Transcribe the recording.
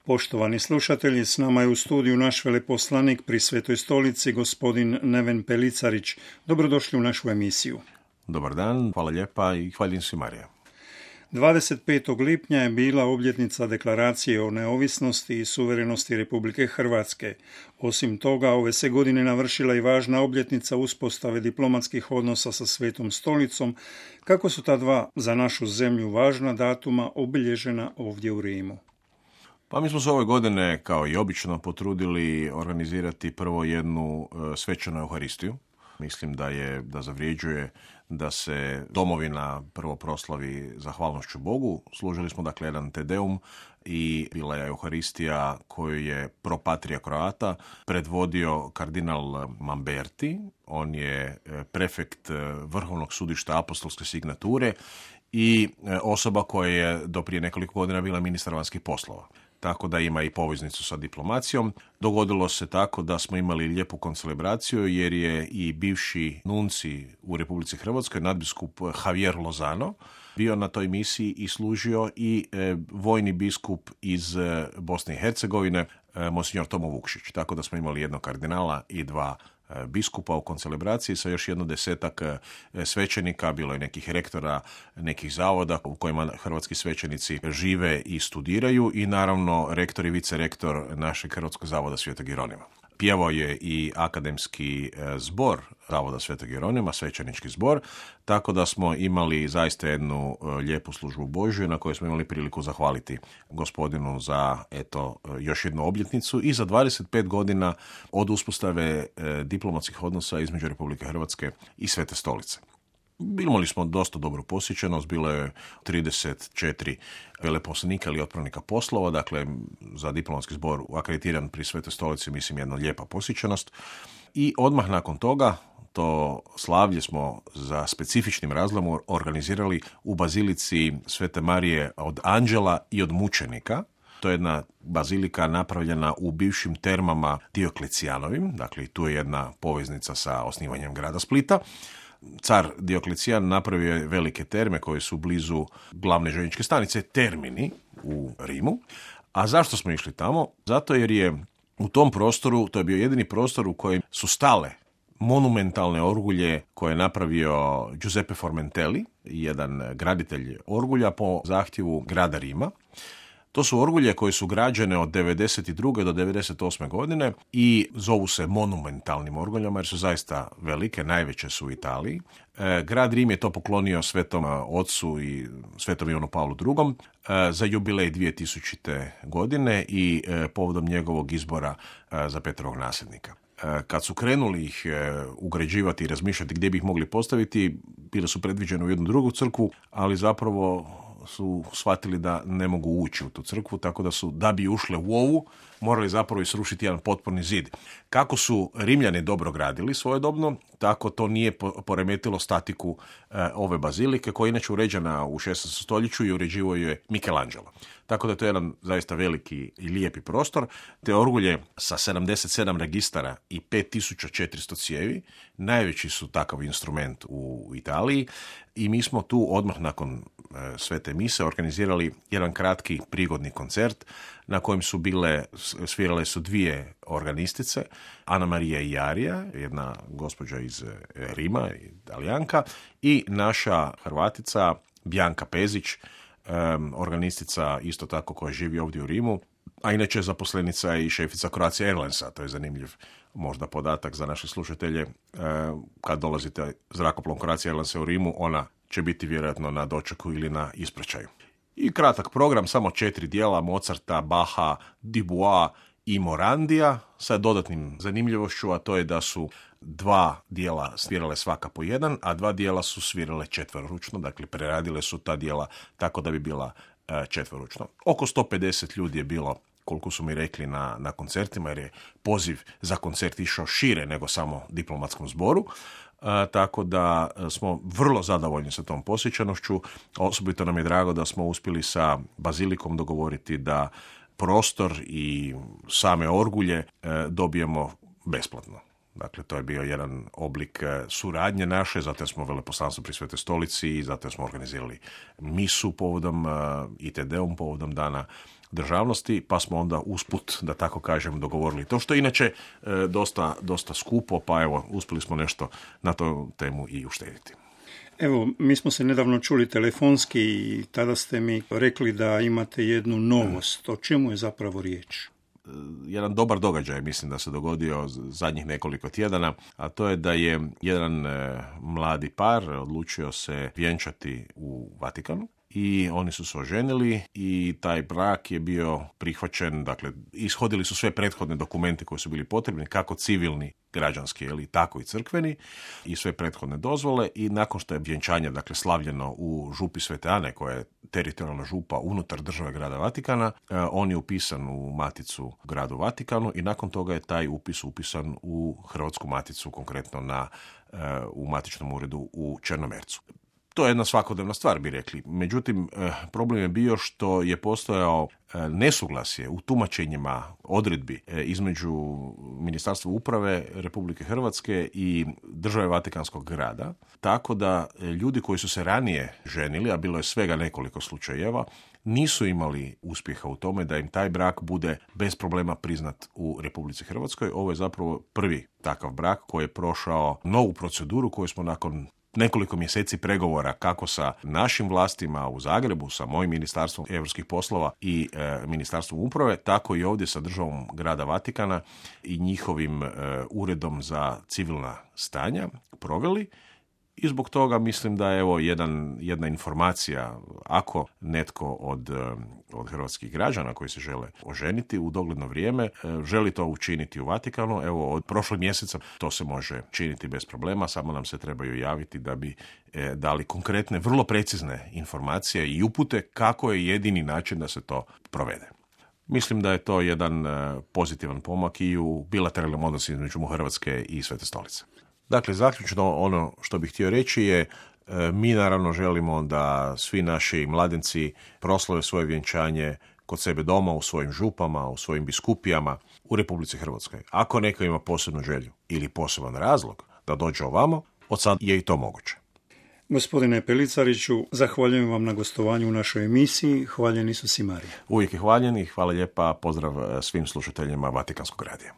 Poštovani slušatelji, s nama je u studiju naš veleposlanik pri Svetoj stolici, gospodin Neven Pelicarić. Dobrodošli u našu emisiju. Dobar dan, hvala lijepa i hvaljen si Marija. 25. lipnja je bila obljetnica deklaracije o neovisnosti i suverenosti Republike Hrvatske. Osim toga, ove se godine navršila i važna obljetnica uspostave diplomatskih odnosa sa Svetom stolicom. Kako su ta dva za našu zemlju važna datuma obilježena ovdje u Rimu? Pa mi smo se ove godine, kao i obično, potrudili organizirati prvo jednu svečanu Euharistiju. Mislim da zavrijeđuje da se domovina prvo proslavi zahvalnošću Bogu. Služili smo dakle jedan Te Deum i bila je Euharistija koju je pro patria Croata predvodio kardinal Mamberti. On je prefekt Vrhovnog sudišta apostolske signature i osoba koja je do prije nekoliko godina bila ministar vanjskih poslova. Tako da ima i poveznicu sa diplomacijom. Dogodilo se tako da smo imali lijepu koncelebraciju jer je i bivši nunci u Republici Hrvatskoj, nadbiskup Javier Lozano, bio na toj misiji i služio i vojni biskup iz Bosne i Hercegovine, monsignor Tomo Vukšić. Tako da smo imali jednog kardinala i dva biskupa u koncelebraciji sa još 10 svećenika, bilo je nekih rektora, nekih zavoda u kojima hrvatski svećenici žive i studiraju i naravno rektor i vicerektor našeg Hrvatskog zavoda Svetog Jeronima. Pjevao je i akademski zbor Zavoda Svetog Jeronima, svećenički zbor, tako da smo imali zaista jednu lijepu službu Božju na kojoj smo imali priliku zahvaliti gospodinu za još jednu obljetnicu i za 25 godina od uspostave diplomatskih odnosa između Republike Hrvatske i Svete stolice. Imali smo dosta dobru posjećenost, bilo je 34 veleposlanika ili otpravnika poslova, dakle za diplomatski zbor akreditiran pri Svetoj stolici, mislim jedna lijepa posjećenost. I odmah nakon toga to slavlje smo za specifičnim razlogom organizirali u bazilici Svete Marije od Anđela i od mučenika. To je jedna bazilika napravljena u bivšim termama Dioklecijanovim, dakle tu je jedna poveznica sa osnivanjem grada Splita. Car Dioklecijan napravio je velike terme koje su blizu glavne željezničke stanice Termini u Rimu. A zašto smo išli tamo? Zato jer je u tom prostoru, to je bio jedini prostor u kojem su stale monumentalne orgulje koje je napravio Giuseppe Formentelli, jedan graditelj orgulja po zahtjevu grada Rima. To su orgulje koje su građene od 92. do 98. godine i zovu se monumentalnim orguljama jer su zaista velike, najveće su u Italiji. Grad Rim je to poklonio Svetom Ocu i Svetom Ivanu Pavlu II. Za jubilej 2000. godine i povodom njegovog izbora za Petrovog nasljednika. Kad su krenuli ih ugrađivati i razmišljati gdje bi ih mogli postaviti, bile su predviđene u jednu drugu crkvu, ali zapravo su shvatili da ne mogu ući u tu crkvu, tako da su, da bi ušle u ovu, morali zapravo i srušiti jedan potporni zid. Kako su Rimljani dobro gradili svojedobno, tako to nije poremetilo statiku ove bazilike, koja je inače uređena u 16. stoljeću i uređivao je Michelangelo. Tako da je to jedan zaista veliki i lijepi prostor. Te orgulje sa 77 registara i 5400 cijevi, najveći su takav instrument u Italiji i mi smo tu odmah nakon svete mise organizirali jedan kratki prigodni koncert na kojem su svirale su dvije organistice, Ana Marija Iarija, jedna gospođa iz Rima, Italijanka, i naša Hrvatica Bianca Pezić, organistica isto tako koja živi ovdje u Rimu, a inače je zaposlenica i šefica Croatia Airlinesa. To je zanimljiv možda podatak za naše slušatelje. Kad dolazite zrakoplovom Croatia Airlinesa u Rimu, ona će biti vjerojatno na dočeku ili na ispraćaju. I kratak program, samo 4 dijela Mozarta, Bacha, Dubois i Morandija sa dodatnim zanimljivošću, a to je da su 2 dijela svirale svaka po jedan, a 2 dijela su svirale četveroručno, dakle preradile su ta dijela tako da bi bila četveroručno. Oko 150 ljudi je bilo, koliko su mi rekli, na koncertima, jer je poziv za koncert išao šire nego samo diplomatskom zboru. Tako da smo vrlo zadovoljni sa tom posjećanošću. Osobito nam je drago da smo uspjeli sa bazilikom dogovoriti da prostor i same orgulje dobijemo besplatno. Dakle, to je bio jedan oblik suradnje naše, zato smo veleposlanstvo pri Svetoj stolici i zato smo organizirali misu povodom i Te Deum povodom dana državnosti, pa smo onda usput, da tako kažem, dogovorili to, što je inače dosta skupo, pa evo, uspjeli smo nešto na tu temu i uštediti. Evo, mi smo se nedavno čuli telefonski i tada ste mi rekli da imate jednu novost. O čemu je zapravo riječ? Jedan dobar događaj, mislim da se dogodio zadnjih nekoliko tjedana, a to je da je jedan mladi par odlučio se vjenčati u Vatikanu i oni su se oženili i taj brak je bio prihvaćen, dakle, ishodili su sve prethodne dokumente koji su bili potrebni, kako civilni, građanski, ili tako i crkveni, i sve prethodne dozvole, i nakon što je vjenčanje, dakle, slavljeno u župi Svete Ane, koja je teritorijalna župa unutar države grada Vatikana, on je upisan u maticu gradu Vatikanu i nakon toga je taj upis upisan u Hrvatsku maticu, konkretno u matičnom uredu u Črnomercu. To je jedna svakodnevna stvar, bi rekli. Međutim, problem je bio što je postojao nesuglasje u tumačenjima odredbi između Ministarstva uprave Republike Hrvatske i države Vatikanskog grada, tako da ljudi koji su se ranije ženili, a bilo je svega nekoliko slučajeva, nisu imali uspjeha u tome da im taj brak bude bez problema priznat u Republici Hrvatskoj. Ovo je zapravo prvi takav brak koji je prošao novu proceduru koju smo nakon nekoliko mjeseci pregovora kako sa našim vlastima u Zagrebu, sa mojim ministarstvom europskih poslova i ministarstvom uprave, tako i ovdje sa državom grada Vatikana i njihovim uredom za civilna stanja proveli. I zbog toga mislim da je evo jedna informacija, ako netko od hrvatskih građana koji se žele oženiti u dogledno vrijeme, želi to učiniti u Vatikanu, evo od prošlog mjeseca to se može činiti bez problema, samo nam se trebaju javiti da bi dali konkretne, vrlo precizne informacije i upute kako je jedini način da se to provede. Mislim da je to jedan pozitivan pomak i u bilateralnom odnosu između Hrvatske i Svete Stolice. Dakle, zaključno ono što bih htio reći je, mi naravno želimo da svi naši mladenci proslave svoje vjenčanje kod sebe doma, u svojim župama, u svojim biskupijama u Republici Hrvatskoj. Ako neko ima posebnu želju ili poseban razlog da dođe ovamo, od sad je i to moguće. Gospodine Pelicariću, zahvaljujem vam na gostovanju u našoj emisiji. Hvaljen Isus i Marija. Uvijek je hvaljen i hvala lijepa. Pozdrav svim slušateljima Vatikanskog radija.